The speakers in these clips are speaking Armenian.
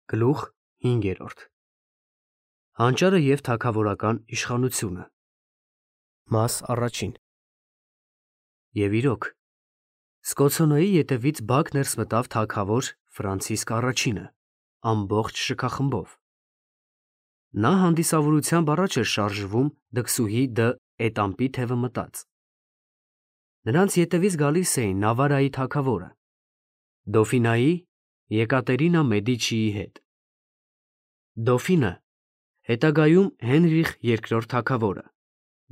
Գլուխ 5. Հանճարը և թագավորական իշխանությունը։ Մաս առաջին։ Եվ իրոք, Սկոցոնոյի ետևից բակ ներս մտավ թագավոր Ֆրանցիսկ առաջինը, ամբողջ շքախմբով։ Նա հանդիսավորությամբ առաջ էր շարժվում դքսուհի դը Էտամպի թևը մտած։ Նրանց ետևից գալիս էին Նավարայի թագավորը, Դոֆինայի Եկատերինա Մեդիչիի հետ։ Դոֆինը, հետագայում Հենրիխ II թագավորը,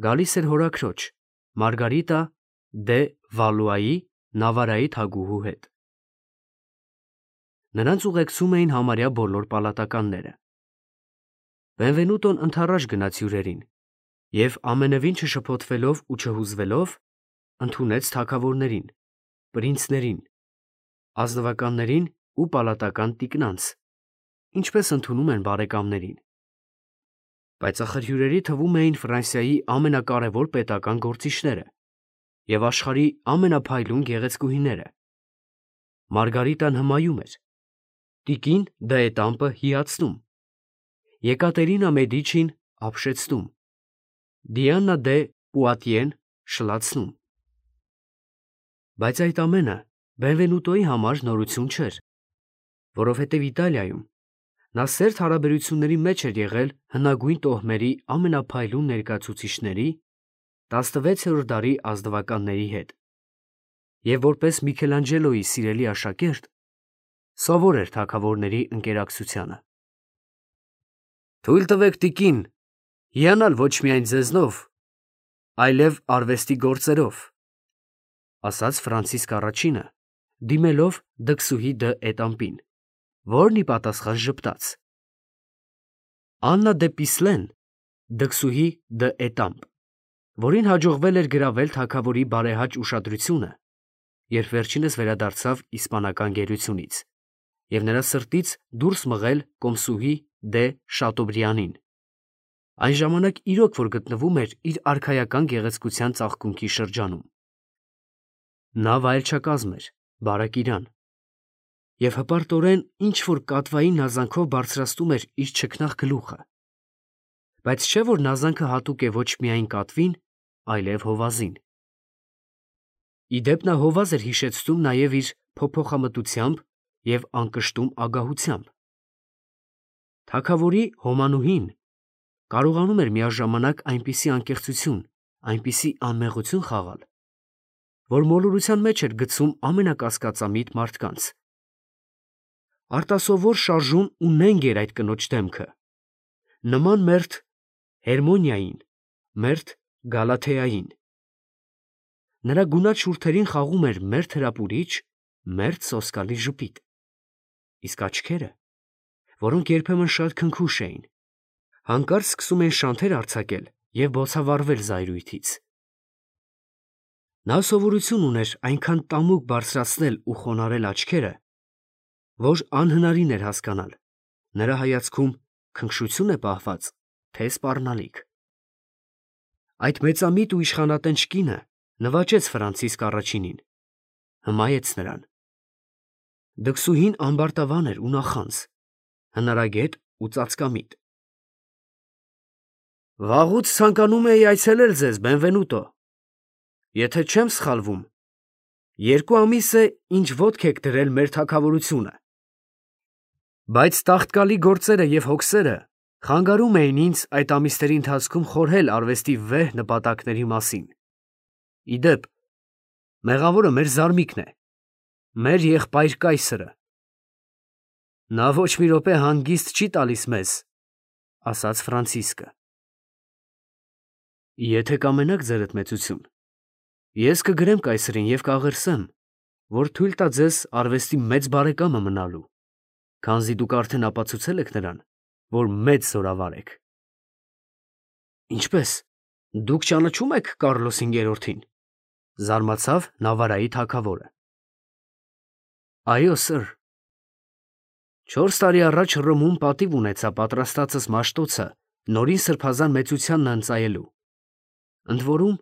գալիս էր հորաքրոջ Մարգարիտա դե Վալուայի Նավարայի թագուհու հետ։ Նրանց ուղեկցում էին համարյա բոլոր պալատականները։ Բենվենուտոն ընդառաջ գնաց հյուրերին և ամենևին չշփոթվելով ու չհուզվելով ընդունեց թագավորներին, պրինցներին, ազնվականներին ու պալատական տիկնանց, ինչպես ընդունում են բարեկամներին։ Բայց ախր հյուրերի թվում էին Ֆրանսիայի ամենակարևոր պետական գործիչները և աշխարհի ամենափայլուն գեղեցկուհիները։ Մարգարիտան հմայում էր, տիկին դը Էտամպը հիացնում, Եկատերինա Մեդիչին ապշեցնում, Դիանա դե Պուատիեն շլացնում։ Բայց այդ ամենը Բենվենուտոյի համար նորություն չէր, որովհետև Իտալիայում նա սերտ հարաբերությունների մեջ էր եղել հնագույն տոհմերի ամենափայլուն ներկայացուցիչների 16-րդ դարի ազնվականների հետ և որպես Միքելանջելոյի սիրելի աշակերտ սովոր էր թագավորների ընկերակցությանը։ «Թույլ տվեք, տիկին, հիանալ ոչ միայն ձեզնով, այլև արվեստի գործերով», ասաց Ֆրանցիսկ առաջինը, դիմելով դքսուհի դը Էտամպին, որն ի պատասխան ժպտաց։ Աննա դե Պիսլեն, դքսուհի դը Էտամպ, որին հաջողվել էր գրավել թագավորի բարեհաճ ուշադրությունը, երբ վերջինս վերադարձավ իսպանական գերությունից, և նրա սրտից դուրս մղել կոմսուհի դե Շատոբրիանին, այն ժամանակ իրոք որ գտնվում էր իր արքայական գեղեցկության ծաղկունքի շրջանում։ Նա վայելչակազմ էր, բարեկիրան, և հպարտորեն ինչ-որ կատվային նազանքով բարձրացնում էր իր չքնաղ գլուխը, բայց չէ՞ որ նազանքը հատուկ է ոչ միայն կատվին, այլև հովազին։ Ի դեպ նա հովազ էր հիշեցնում նաև իր փոփոխամտությամբ և անկշտում ագահությամբ։ Թագավորի հոմանուհին կարողանում էր միաժամանակ այնպիսի անկեղծություն, այնպիսի անմեղություն խաղալ, որ մոլորության մեջ էր գցում ամենակասկածամիտ մարդկանց։ Արտասովոր շարժուն ու նենգ էր այդ կնոջ դեմքը, նման մերթ Հերմոնիային, մերթ Գալաթեային։ Նրա գունատ շուրթերին խաղում էր մերթ հրապուրիչ, մերթ սոսկալի ժպիտ, իսկ աչքերը, որոնք երբեմն շատ քնքուշ էին, հանկարծ սկսում էին շանթեր արձակել և բոցավառվել զայրույթից։ Նա սովորություն ուներ այնքան տամուկ բարձրացնել ու խոնարհել աչքերը, որ անհնարին էր հասկանալ նրա հայացքում քնքշություն է պահված, թե սպառնալիք։ Այդ մեծամիտ ու իշխանատենչ կինը նվաճեց Ֆրանցիսկ առաջինին, հմայեց նրան։ Դքսուհին ամբարտավան էր ու նախանձ, հնարագետ ու ծածկամիտ։ «Վաղուց ցանկանում էի այցելել ձեզ, Բենվենուտո, եթե չեմ սխալվում, 2 ամիս է, ինչ ոտք եք դրել մեր թագավորությունը։ Բայց տաղտկալի գործերը և հոգսերը խանգարում էին ինձ այդ ամիսների ընթացքում խորհել արվեստի վեհ նպատակների մասին։ Ի դեպ, մեղավորը մեր զարմիկն է, մեր եղբայր կայսրը։ Նա ոչ մի րոպե հանգիստ չի տալիս մեզ», ֊ ասաց Ֆրանցիսկը։ «Եթե կամենաք, ձերդ մեծություն, ես կգրեմ կայսրին և կաղերսեմ, որ թույլ տա ձեզ արվեստի մեծ բարեկամը մնալու, քանզի դուք արդեն ապացուցել եք նրան, որ մեծ զորավար եք»։ «Ինչպե՞ս, դուք ճանաչում եք Կառլոս V-ին», ֊ զարմացավ Նավարայի թագավորը։ «Այո, սըր. 4 տարի առաջ Հռոմում պատիվ ունեցա պատրաստածս Մաշտոցը նորին սրբազան մեծությանն ընծայելու, ընդ որում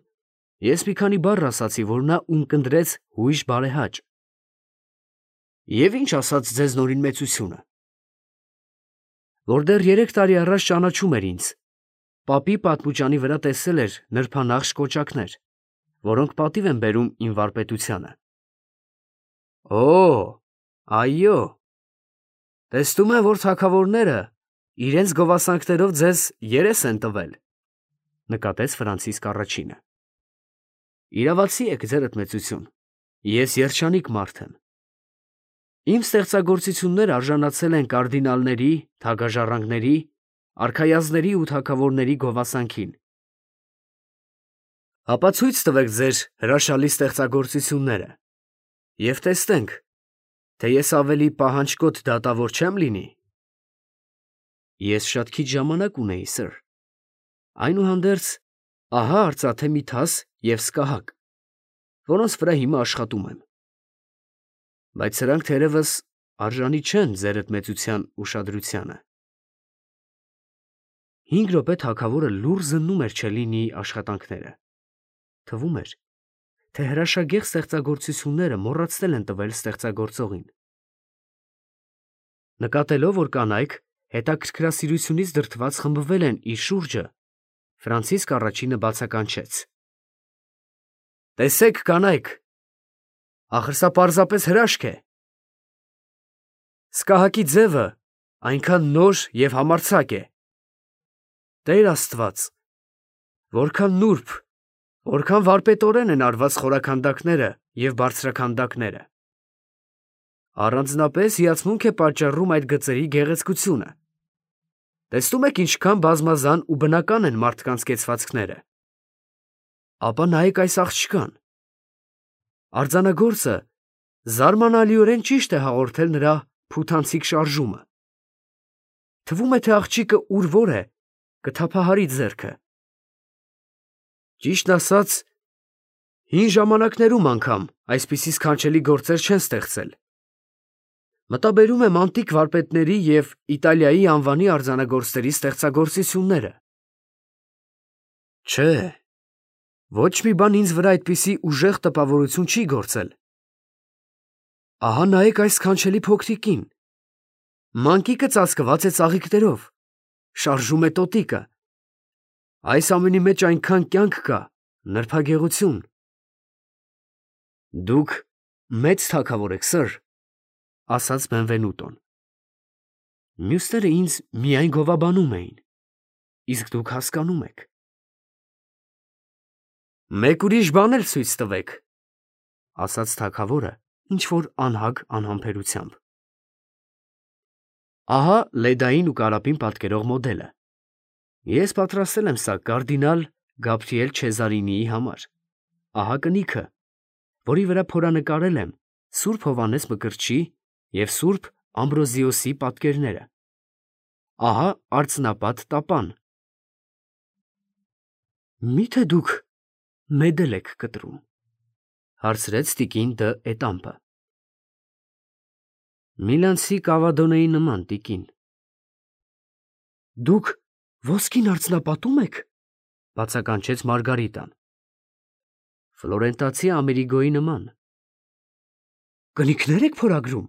ես մի քանի բառ ասացի, որ նա ունկնդրեց հույժ բարեհաճ։ Եվ ի՞նչ ասաց ձեզ նորին մեծությունը։ որ դեռ 3 տարի առաջ ճանաչում էր ինձ, պապի պատմուճանի վրա տեսել էր նրբանախշ կոճակներ, որոնք պատիվ են բերում իմ վարպետությանը։ Օ, այո, տեսնում եմ, որ թագավորները իրենց գովասանքներով ձեզ երես են տվել, նկատեց Ֆրանցիսկ առաջինը։ Իրավացի եք, ձերդ մեծություն, ես երջանիկ մարդ եմ։ Իմ ստեղծագործությունները արժանացել են կարդինալների, թագաժառանգների, արքայազների ու թագավորների գովասանքին։ Ապա ցույց տվեք ձեր հրաշալի ստեղծագործությունները և տեսնենք, թե ես ավելի պահանջկոտ դատավոր չեմ լինի։ Ես շատ քիչ ժամանակ ունեի, սըր։ Այնուհանդերձ, ահա արծաթե մի թաս և սկահակ, որոնց վրա հիմա աշխատում եմ։ Բայց սրանք թերևս արժանի չեն ձերդ մեծության ուշադրությանը։ 5 րոպե թագավորը լուռ զննում էր Չելլինիի աշխատանքները։ Թվում էր, թե հրաշագեղ ստեղծագործությունները մոռացել են տվել ստեղծագործողին։ Նկատելով, որ կանայք հետաքրքրասիրությունից դրդված խմբվել են իր շուրջը, Ֆրանցիսկ առաջինը բացականչեց. Տեսեք, կանայք, ախր սա պարզապես հրաշք է։ Սկահակի ձևը այնքան նոր և համարձակ է։ Տեր Աստված, որքան նուրբ, որքան վարպետորեն են արված խորաքանդակները և բարձրաքանդակները։ Առանձնապես հիացմունք է պատճառում այդ գծերի գեղեցկությունը։ Տեսնում եք ինչքան բազմազան ու բնական են մարդկանց կեցվածքները։ Ապա նայեք այս աղջկան։ Արձանագործը զարմանալիորեն ճիշտ է հաղորդել նրա փութանցիկ շարժումը։ Թվում է, թե աղջիկը ուր որ է, կթափահարի ձեռքը։ Ճիշտն ասած, հին ժամանակներում անգամ այսպիսի սքանչելի գործեր չեն ստեղծել։ Մտաբերում եմ անտիկ վարպետների և Իտալիայի անվանի արձանագործների ստեղծագործությունները։ Չէ, ոչ մի բան ինձ վրա այդպիսի ուժեղ տպավորություն չի գործել։ Ահա նայեք այս սքանչելի փոքրիկին։ Մանկիկը ծածկված է ծաղիկներով, շարժում է տոտիկը։ Այս ամենի մեջ այնքան կյանք կա, նրբագեղություն։ Դուք մեծ թագավոր եք, սըր, ասաց Բենվենուտոն։ Մյուսները ինձ միայն գովաբանում էին, իսկ դուք հասկանում եք։ Մեկ ուրիշ բան էլ ցույց տվեք, ասաց թագավորը ինչ-որ անհագ անհամբերությամբ։ Ահա լեդային ու կարապին պատկերող մոդելը։ Ես պատրաստել եմ սա կարդինալ Գաբրիել Չեզարինիի համար։ Ահա կնիքը, որի վրա փորանկարել եմ Սուրբ Հովհաննես Մկրտչի և Սուրբ Ամբրոզիոսի պատկերները։ Ահա արծնապատ տապան։ Մի՞թե դուք մեդել եք կտրում, հարցրեց տիկին դը Էտամպը։ Միլանցի Կավադոնեի նման, տիկին։ Դուք ոսկին արծնապատում եք, բացականչեց Մարգարիտան։ Ֆլորենտացի Ամերիգոյի նման։ Կնիկներ եք փորագրում,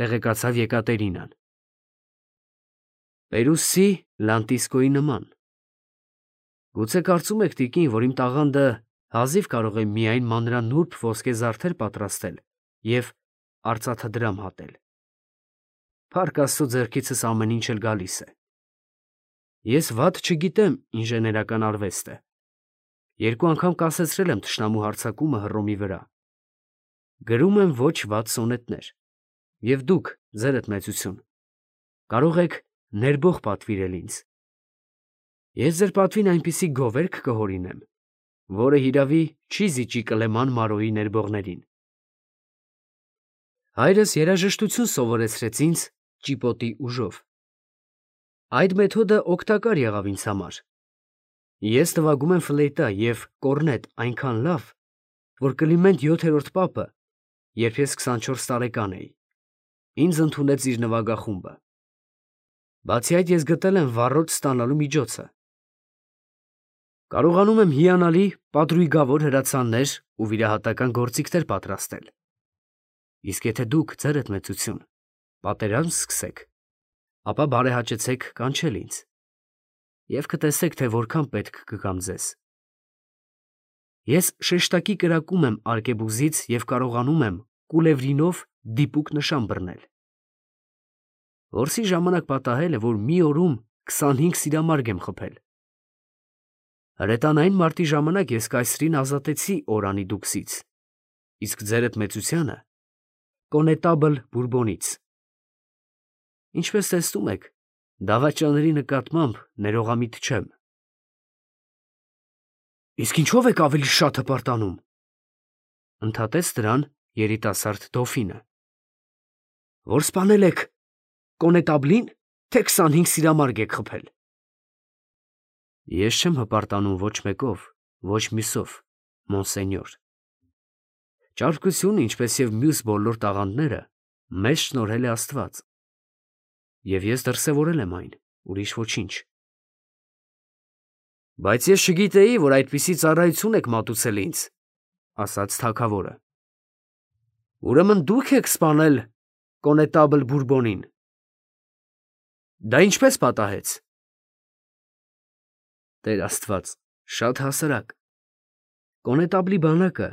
տեղեկացավ Եկատերինան։ Պերուսի Լանտիսկոյի նման։ Գուցե կարծում եք, տիկին, որ իմ տաղանդը հազիվ կարող է միայն մանրանուրբ ոսկե զարդեր պատրաստել և արծաթդրամ հատել։ Փառք Աստծո, ձեռքիցս ամեն ինչ էլ գալիս է։ Ես վատ չգիտեմ ինժեներական արվեստը։ 2 անգամ կասեցրել եմ թշնամու հարձակումը Հռոմի վրա։ Գրում եմ ոչ վատ սոնետներ։ Եվ դուք, ձերդ մեծություն, կարող եք ներբող պատվիրել ինձ։ Ես ձեր պատվին այնպիսի գովերք կհորինեմ, որը հիրավի չի զիջի Կլեման Մարոյի ներբողներին։ Հայրս երաժշտություն սովորեցրեց ինձ ճիպոտի ուժով։ Այդ մեթոդը օգտակար եղավ ինձ համար։ Ես նվագում եմ ֆլեյտա և կորնետ այնքան լավ, որ Կլիմենտ 7-րդ պապը, երբ ես 24 տարեկան էի, ինձ ընդունեց իր նվագախումբը։ Բացի այդ, ես գտել եմ վառոդ ստանալու միջոցը։ Կարողանում եմ հիանալի պատրույգավոր հրացաններ ու վիրահատական գործիքներ պատրաստել։ Իսկ եթե դուք, ձերդ մեծություն, պատերազմ սկսեք, ապա բարեհաճեցեք կանչել ինձ և կտեսեք, թե որքան պետք կգամ ձեզ։ Ես շեշտակի կրակում եմ արկեբուզից և կարողանում եմ կուլևրինով դիպուկ նշան բռնել։ Որսի ժամանակ պատահել է, որ մի օրում 25 սիրամարգ եմ խփել։ Հրետանային մարտի ժամանակ ես կայսրին ազատեցի Օրանի դուքսից, իսկ ձերդ մեծությանը կոնետաբլ Բուրբոնից։ Ինչպես տեսնում եք, դավաճաների նկատմամբ ներողամիտ չեմ։ Իսկ ինչով եք ավելի շատ հպարտանում, ընդհատեց դրան երիտասարդ դոֆինը, որ սպանել եք կոնետաբլին, թե 25 սիրամարգ եք խփել։ Ես չեմ հպարտանում ոչ մեկով, ոչ մյուսով, մոնսենյոր։ Ճարպկությունը, ինչպես և մյուս բոլոր տաղանդները, մեզ շնորհել է Աստված, և ես դրսևորել եմ այն, ուրիշ ոչինչ։ Բայց ես չգիտեի, որ այդպիսի ծառայություն եք մատուցել ինձ, ասաց թագավորը։ Ուրեմն դուք եք սպանել կոնետաբլ Բուրբոնին։ Դա ինչպես պատահեց։ Տեր Աստված, շատ հասարակ։ Կոնետաբլի բանակը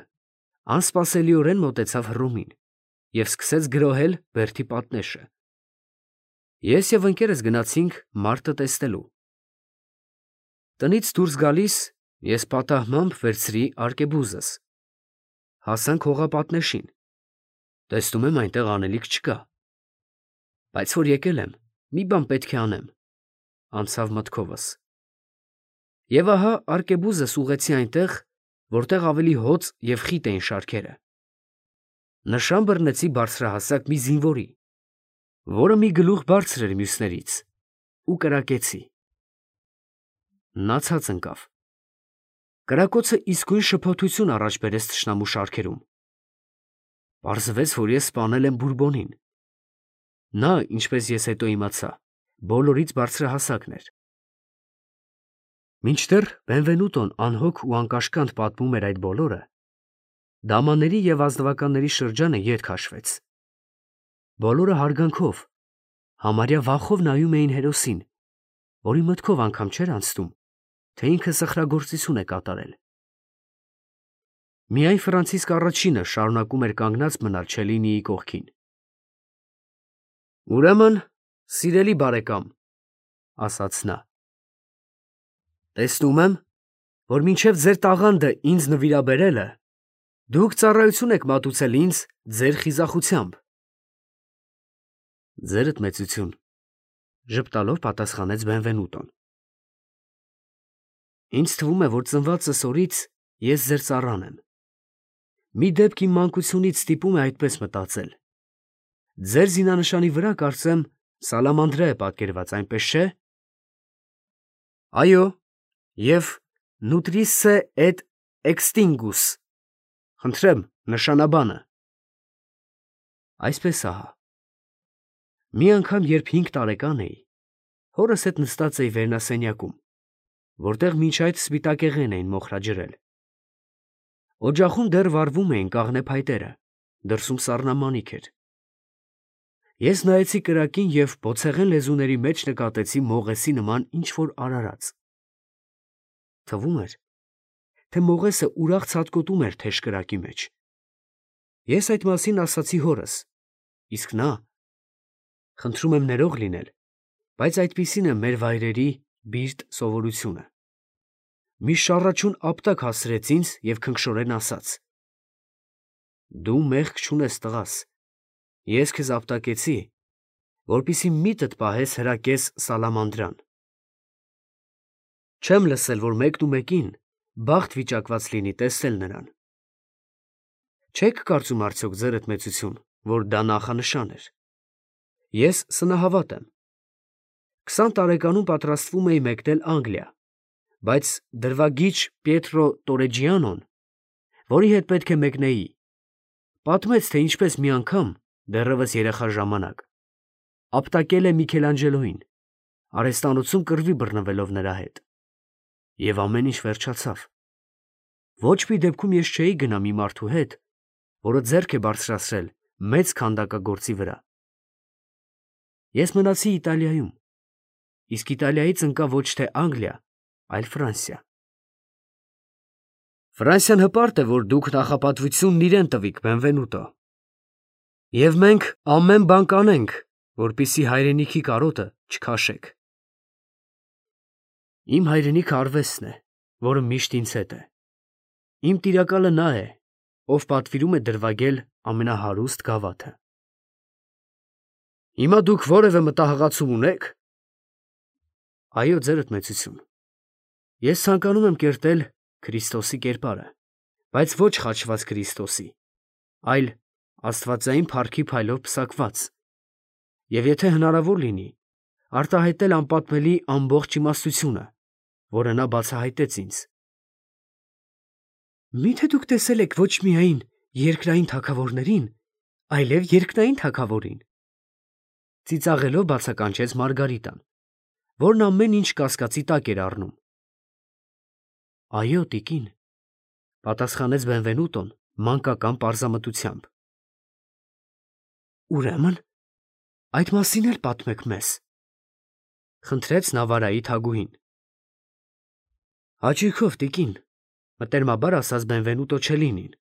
անսպասելիորեն մոտեցավ Հռոմին և սկսեց գրոհել բերդի պատնեշը։ Ես և ընկերս գնացինք մարտը տեսնելու։ Տնից դուրս գալիս ես պատահմամբ վերցրի արկեբուզս։ Հասանք հողապատնեշին։ Տեսնում եմ այնտեղ անելիք չկա։ Բայց որ եկել եմ, մի բան պետք է անեմ, անցավ մտքովս։ Եվ ահա արկեբուզս ուղղեցի այնտեղ, որտեղ ավելի հոծ և խիտ էին շարքերը։ Նշան բռնեցի բարձրահասակ մի զինվորի, որը մի գլուխ բարձր էր մյուսներից, ու կրակեցի։ Նա ցած ընկավ։ Կրակոցը իսկույն շփոթություն առաջ բերեց թշնամու շարքերում։ Պարզվեց, որ ես սպանել եմ Բուրբոնին։ Նա, ինչպես ես հետո իմացա, բոլորից բարձրահասակն էր։ Մինչդեռ Բենվենուտոն անհոգ ու անկաշկանդ պատմում էր այդ բոլորը, դամանների և ազնվականների շրջանը ետ քաշվեց։ Բոլորը հարգանքով, համարյա վախով նայում էին հերոսին, որի մտքով անգամ չէր անցնում, թե ինքը սխրագործություն է կատարել։ Միայն Ֆրանցիսկ առաջինը շարունակում էր կանգնած մնալ Չելինիի կողքին։ Ուրեմն, սիրելի բարեկամ, ասաց նա, տեսնում եմ, որ մինչև ձեր տաղանդը ինձ նվիրաբերելը, դուք ծառայություն եք մատուցել ինձ ձեր խիզախությամբ։ Ձերդ մեծություն, ժպտալով պատասխանեց Բենվենուտոն։ Ինձ թվում է, որ ծնվածս օրից ես ձեր ծառան եմ։ Մի դեպք իմ մանկությունից ստիպում է այդպես մտածել։ Ձեր զինանշանի վրա, կարծեմ, սալամանդրա է պատկերված, այնպես չէ։ Այո, և nutrisse et extingus, խնդրեմ, նշանաբանը։ Այսպես ահա։ Մի անգամ, երբ 5 տարեկան էի, հորս հետ նստած էի վերնասենյակում, որտեղ մինչ այդ սպիտակեղեն էին մոխրաջրել։ Օջախում դեռ վառվում էին կաղնե փայտերը, դրսում սառնամանիք էր։ Ես նայեցի կրակին և բոցեղեն լեզուների մեջ նկատեցի մողեսի նման ինչ-որ արարած։ Թվում էր, թե մողեսը ուրախ ցատկոտում էր թեժ կրակի մեջ։ Ես այդ մասին ասացի հորս, իսկ նա, խնդրում եմ ներող լինել, բայց այդպիսին է մեր վայրերի բիրտ սովորությունը, մի շառաչուն ապտակ հասրեց ինձ և քնքշորեն ասաց. «Դու մեղք չունես, տղաս, ես քեզ ապտակեցի, որպեսզի միտդ պահես հրակես սալամանդրան»։ Չեմ լսել, որ մեկնումեկին բախտ վիճակված լինի տեսնել նրան։ Չեք կարծում արդյոք, ձերդ մեծություն, որ դա նախանշան էր։ Ես սնահավատ եմ։ 20 տարեկանում պատրաստվում էի մեկնել Անգլիա, բայց դրվագիչ Պիետրո Տորեջիանոն, որի հետ պետք է մեկնեի, պատմեց, թե ինչպես մի անգամ, դեռևս երեխա ժամանակ, ապտակել է Միքելանջելոյին, արհեստանոցում կռվի բռնվելով նրա հետ։ Եվ ամեն ինչ վերջացավ։ Ոչ մի դեպքում ես չէի գնա մի մարդու հետ, որը ձեռք է բարձրացրել մեծ քանդակագործի վրա։ Ես մնացի Իտալիայում, իսկ Իտալիայից ընկա ոչ թե Անգլիա, այլ Ֆրանսիա։ Ֆրանսիան հպարտ է, որ դուք նախապատվությունն իրեն տվիք, Բենվենուտո։ Եվ մենք ամեն բան կանենք, որպեսզի հայրենիքի կարոտը չքաշեք։ Իմ հայրենիքը արվեստն է, որը միշտ ինձ հետ է։ Իմ տիրակալը նա է, ով պատվիրում է դրվագել ամենահարուստ գավաթը։ Հիմա դուք որևէ մտահղացում ունե՞ք։ Այո, ձերդ մեծություն։ Ես ցանկանում եմ կերտել Քրիստոսի կերպարը, բայց ոչ խաչված Քրիստոսի, այլ աստվածային փառքի փայլով պսակված, և եթե հնարավոր լինի, արտահայտել անպատմելի ամբողջ իմաստությունը, որը նա բացահայտեց ինձ։ Մի՞թե դուք տեսել եք ոչ միայն երկրային թագավորներին, այլև երկնային թագավորին, ծիծաղելով բացականչեց Մարգարիտան, որն ամեն ինչ կասկածի տակ էր առնում։ Այո, տիկին, պատասխանեց Բենվենուտոն մանկական պարզամտությամբ։ Ուրեմն, այդ մասին էլ պատմեք մեզ, խնդրեց Նավարայի թագուհին։ Հաճույքով, տիկին, մտերմաբար ասաց Բենվենուտո Չելինին,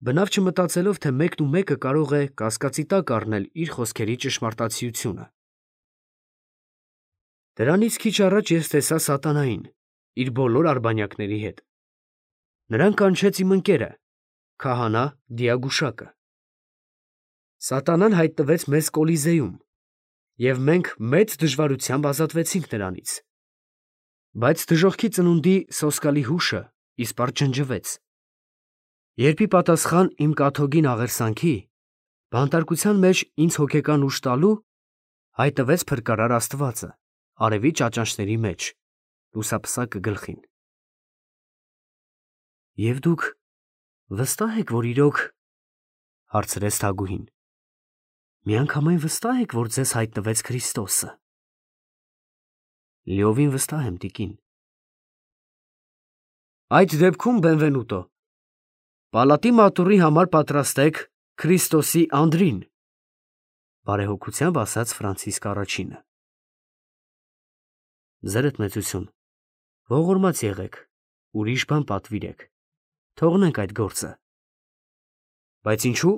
բնավ չմտածելով, թե մեկն ու մեկը կարող է կասկածի տակ առնել իր խոսքերի ճշմարտացիությունը։ Դրանից քիչ առաջ ես տեսա սատանային, իր բոլոր արբանյակների հետ։ Նրան կանչեց իմ ընկերը, քահանա Դիագուշակը։ Սատանան հայտնվեց մեզ Կոլիզեում, և մենք մեծ դժվարությամբ ազատվեցինք նրանից։ Բայց դժոխքի ծնունդի սոսկալի հուշը իսպառ ջնջվեց։ Երբ ի պատասխան իմ կաթոկին աղերսանքի, բանտարկության մեջ ինձ հոգեկան ուժ տալու, հայտնվեց փրկարար Աստվածը, արևի ճաճանճների մեջ, լուսափսակը գլխին։ Եվ դուք վստահ եք, որ իրոք, հարցրեց թագուհին, միանգամայն վստահ եք, որ ձեզ հայտնվեց Քրիստոսը։ Լիովին վստահ եմ, տիկին։ Այդ դեպքում, Բենվենուտո, պալատի մատուռի համար պատրաստեք Քրիստոսի անձրին, բարեհոգությամբ ասաց Ֆրանցիսկ առաջինը։ Ձերդ մեծություն, ողորմած եղեք, ուրիշ բան պատվիրեք, թողնենք այդ գործը։ Բայց ինչու՞։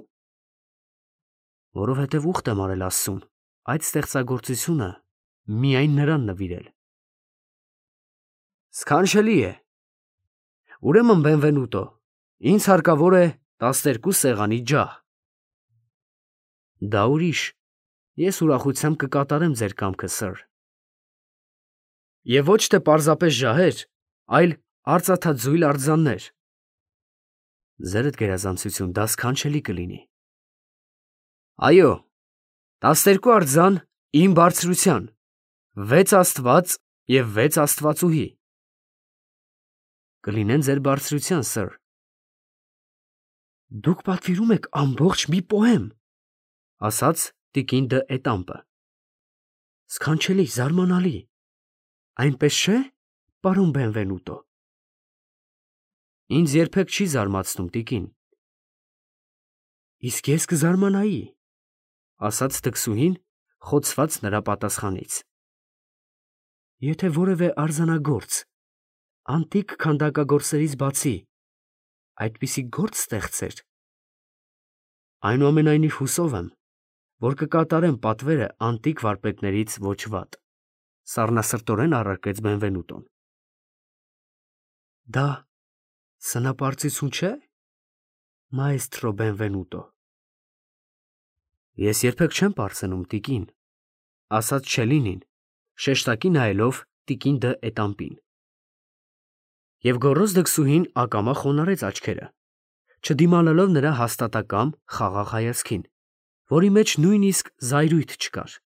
Որովհետև ուխտ եմ արել Աստծուն, այդ ստեղծագործությունը միայն նրան նվիրել։ Սքանչելի է։ Ուրեմն, Բենվենուտո, ինձ հարկավոր է 12 սեղանի ջահ։ Դա ուրիշ, ես ուրախությամբ կկատարեմ ձեր կամքը, սըր։ Եվ ոչ թե պարզապես ջահեր, այլ արծաթաձույլ արձաններ։ Ձերդ գերազանցություն, դա սքանչելի կլինի։ Այո, 12 արձան իմ բարձրության, 6 աստված և 6 աստվածուհի։ Կլինեն ձեր բարձրության, սըր։ Դուք պատվիրում եք ամբողջ մի պոեմ, ասաց տիկին դը Էտամպը։ Սքանչելի, զարմանալի, այնպես չէ, պարոն Բենվենուտո։ Ինձ երբեք չի զարմացնում, տիկին։ Իսկ ես կզարմանայի, ասաց տկսուհին, խոցված նրա պատասխանից։ Եթե որևէ արձանագործ, անտիկ քանդակագործերից բացի, այդպիսի գործ ստեղծեր, այնուամենայնիվ հուսով եմ, որ կկատարեմ պատվերը անտիկ վարպետներից ոչ վատ, սառնասրտորեն առարկեց Բենվենուտոն։ Դա սնապարծություն չէ, մայստրո Բենվենուտո։ Ես երբեք չեմ պարծենում, տիկին, ասաց Չելինին, շեշտակի նայելով տիկին դը Էտամպին։ Եվ գոռոզ դքսուհին ակամա խոնարհեց աչքերը, չդիմանալով նրա հաստատակամ խաղաղ հայացքին, որի մեջ նույնիսկ զայրույթ չկար։